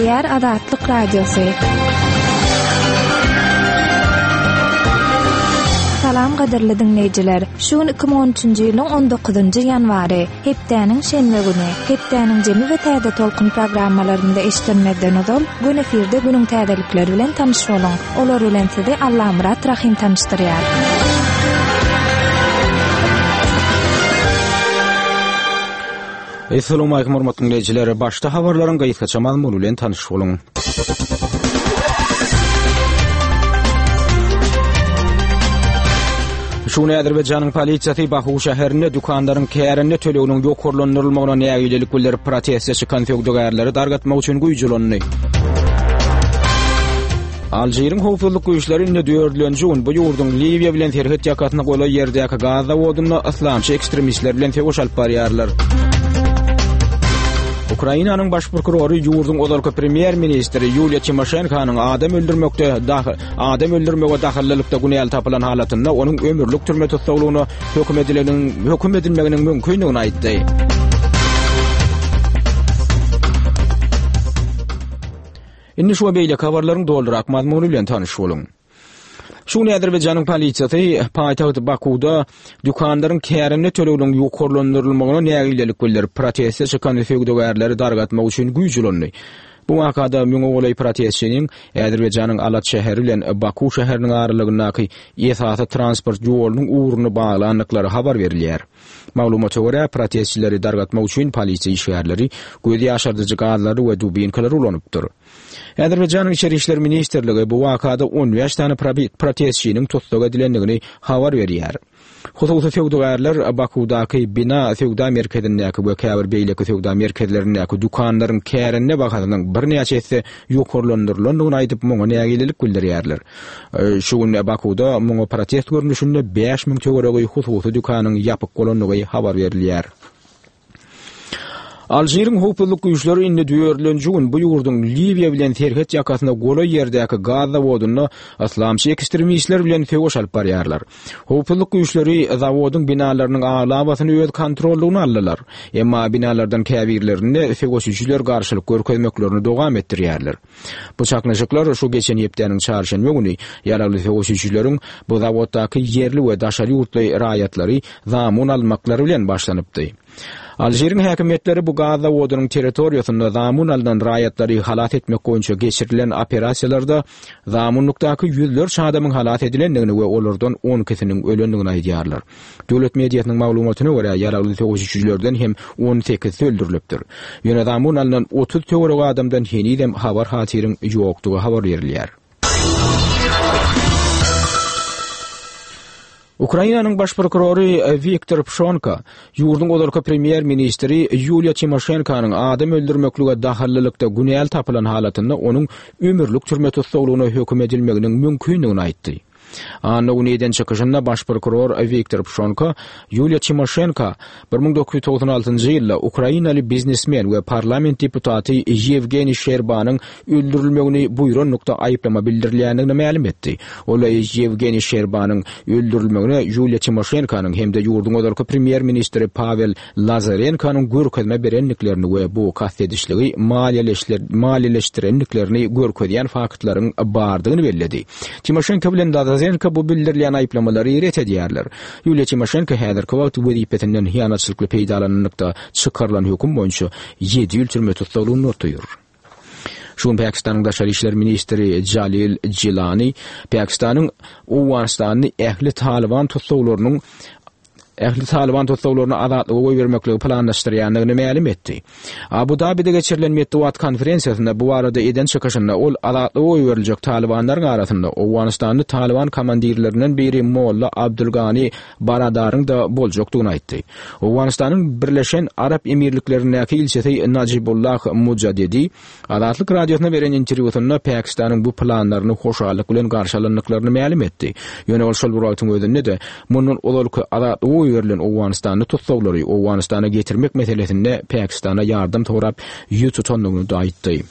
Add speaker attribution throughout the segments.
Speaker 1: Gepleýär Azatlyk Radiosy. Salam gadyrly diňleýjiler. Şu gün 2013-nji ýylyň 19-njy ýanwary, hepdäniň şenbe güni. Hepdäniň jemi we täze tolkun programmalarynda eşidilmezden ozal, gün efirde günüň täzelikleri bilen tanyş boluň. Olar bilen sizi Allamyrat Rahym tanyşdyrýar.
Speaker 2: Essalawmalikim hormatly diňleýjiler. Başda habarlaryň gysgaça mazmuny bilen tanyş boluň. Şu gün Azerbaýjanyň polisiýasy Baku şäherinde dükanlaryň kärende töleginiň ýokarlandyrylmagyna nägilelik bildirip proteste çykan söwdagärleri dargatmak üçin güýç ulandy. Alžiriň howpsuzlyk güýçleri indi dördülenji gün bu ýurduň Liwiýa bilen serhet ýakasyna golaý ýerdäki gaz zawodynda yslamçy ekstremistler bilen söweş alyp barýarlar. Ukrainanyň baş prokurory ýurduň ozalky premýer-ministri Ýuliýa Timoşenkonyň adam öldürmekde adam öldürmege dahyllylykda günäli tapylan halatynda onuň ömürlik türme tussaglygyna höküm edilenin höküm edilmeginiň mümkindigini aýtdy. Indi şu we beýleki habarlaryň dolurak mazmuny bilen tanyş boluň. Şu gün Azerbaýjanyň polisiýasy paýtagt Bakuwda dükanlaryň kärende töleginiň ýokarlandyrylmagyna nägilelik bildirip, proteste çykan söwdagärleri dargatmak üçin güýç ulandy. Bu wakada müňe golaý protestçiniň Azerbaýjanyň Alat şäheri bilen Baku şäheriniň aralygyndaky esasy transport ýolunyň ugruny baglandyklary habar berilýär. Maglumata görä, protestçileri dargatmak üçin polisiýa işgärleri göz ýaşardyjy gazlary we dubinkalary ulanypdyr. Azerbaýjanyň Içeri işler ministrligi bu wakada 15 sany protestçiniň tussag edilendigini habar berýär. Hususy söwdagärler Bakuwdaky Bina söwda merkezindäki we käbir beýleki söwda merkezlerindäki dükanlaryň kärende bahasynyň birnäçe esse ýokarlandyrylandygyny aýdyp, muňa nägilelik bildirýärler. Şu gün Bakuwda muňa protest görnüşinde 5000 töweregi hususy dükanyň ýapyk bolandygy habar berilýär. Alžiriň howpsuzlyk güýçleri indi dördülenji gün bu ýurduň Liwiýa bilen serhet ýakasyna golaý ýerdäki gaz zawodynda yslamçy ekstremistler bilen söweş alyp barýarlar. Howpsuzlyk güýçleri zawodyň binalarynyň aglabasyny öz kontrollygyna aldylar. Emma binalardan käbirlerinde söweşijiler garşylyk görkezmeklerini dowam etdirýärler. Bu çaknyşyklar şu geçen hepdäniň çarşenbe güni ýaragly söweşijileriň bu zawoddaky ýerli we daşary ýurtly raýatlary zamun almaklary bilen başlanypdy. Alžiriň häkimiýetleri bu gaz zawodynyň territoriýasynda zamun alnan raýatlary halas etmek boýunça geçirilen operasiýalarda zamunlykdaky ýüzlerçe adamyň halas edilendigini we olardan on ikisiniň ölendigini aýdýarlar. Döwlet mediasynyň maglumatyna görä, ýaragly söweşijilerden hem on sekizisi öldürilipdir. Ýöne zamun alnan 30 töweregi adamdan henizem habar-hatyryň ýokdugy habar berilýär. Ukrainanyň baş prokurory Wiktor Pşonka ýurduň ozalky premýer-ministri Ýuliýa Timoşenkonyň adam öldürmeklige dahyllylykda günäli tapylan halatynda onuň ömürlik türme tussaglygyna höküm edilmeginiň mümkindigini aýtdy. Anna güni eden çykyşynda baş prokuror Wiktor Pşonka Ýuliýa Timoşenko 1996-njy ýylda ukrainaly biznesmen we parlament deputaty Ýewgeniý Şerbanyň öldürilmegini buýranlykda aýyplama bildirilýändigini mälim etdi. Ol Ýewgeniý Şerbanyň öldürilmegine Ýuliýa Timoşenkonyň hem-de ýurduň ozalky premýer-ministri Pawel Lazarenkonyň görkezme berendiklerini we bu kast edişligi maliýeleşdirendiklerini görkezýän faktlaryň bardygyny belledi. Timoşenko bilen Lazarenko bu bildirilýän aýyplamalary ret edýärler. Ýuliýa Timoşenko häzirki wagt wezipesinden hyýanatçylykly peýdalananlykda çykarylan höküm boýunça ýedi ýyl türme tussaglygynda otyr. Şu gün Pakistanyň daşary işler ministri Jalil Jilani Pakistanyň Owganystanda ähli Talyban tussaglarynyň ähli Talyban tussaglaryny azatlyga goýbermekligi planlaşdyrýandygyny mälim etdi. Abu-Dabide geçirilen metbugat konferensiýasynda bu barada eden çykyşynda ol azatlyga goýberiljek talybanlaryň arasynda Owganystanly talyban komandirlerinden biri Molla Abdulgani Baradaryň-da boljakdygyny aýtdy. Owganystanyň Birleşen Arap Emirliklerindäki ilçisi Najibullah Mujadedi Azatlyk Radiosyna beren interwýusynda Pakistanyň bu planlaryny hoşallyk bilen garşy alandyklaryny mälim etdi. Ýöne ol şol bir wagtyň özünde-de, mundan ozalky azatlyga goýberilen owganystanly tussaglary Owganystana getirmek meselesinde Pakistana ýardam sorap ýüz tutandygyny-da aýtdy.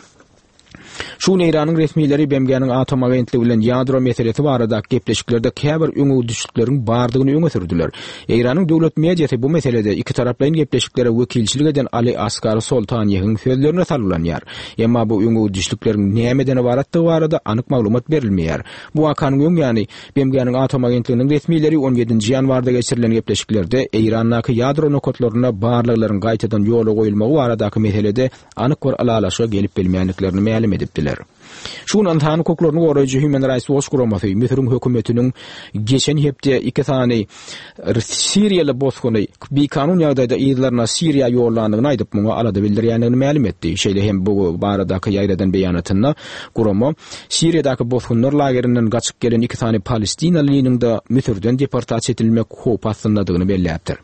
Speaker 2: Şu gün Eýranyň resmileri BMG-niň Atom agentligi bilen ýadro meselesi baradaky gepleşiklerde käbir öňegidişlikleriň bardygyny öňe sürdüler. Eýranyň döwlet mediasy bu meselede ikitaraplaýyn gepleşiklere wekilçilik eden Ali Asgar Soltaniýehiň sözlerine salgylanýar. Emma bu öňegidişlikleriň nämeden ybaratdygy barada anyk maglumat berilmeýär. Bu wakanyň öň ýany, BMG-niň Atom agentliginiň resmileri on ýedinji ýanwarda geçirilen gepleşiklerde Eýrandaky ýadro nokatlarynda barlaglaryň gaýtadan ýola goýulmagy baradaky meselede anyk bir ylalaşyga gelip bilmändiklerini mälim edipdiler. Şu gün ynsan hukuklaryny goraýjy Human Rights Watch guramasy Müsüriň hökümetiniň geçen hepde iki sany siriýaly bosguny bikanun ýagdaýda yzlaryna Siriýa ýollandygyny aýdyp, muňa alada bildirýändigini mälim etdi. Şeýle hem bu baradaky ýaýradan beýanatynda gurama Siriýadaky bosgunlar lagerinden gaçyp gelen iki sany palestinalynyň-da Müsürden deportasiýa edilmek howpy astyndadygyny belläpdir.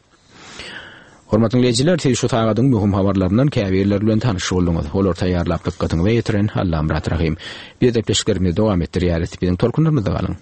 Speaker 2: Hormatly diňleýjiler, siz şu sagadyň möhüm habarlaryndan käbirleri bilen tanyş bolduňyz. Olary taýýarlap dykgatyňyza ýetiren Allamyrat Rahym. Biz gepleşiklerimizi dowam etdirýäris. Biziň tolkunlarymyzda galyň.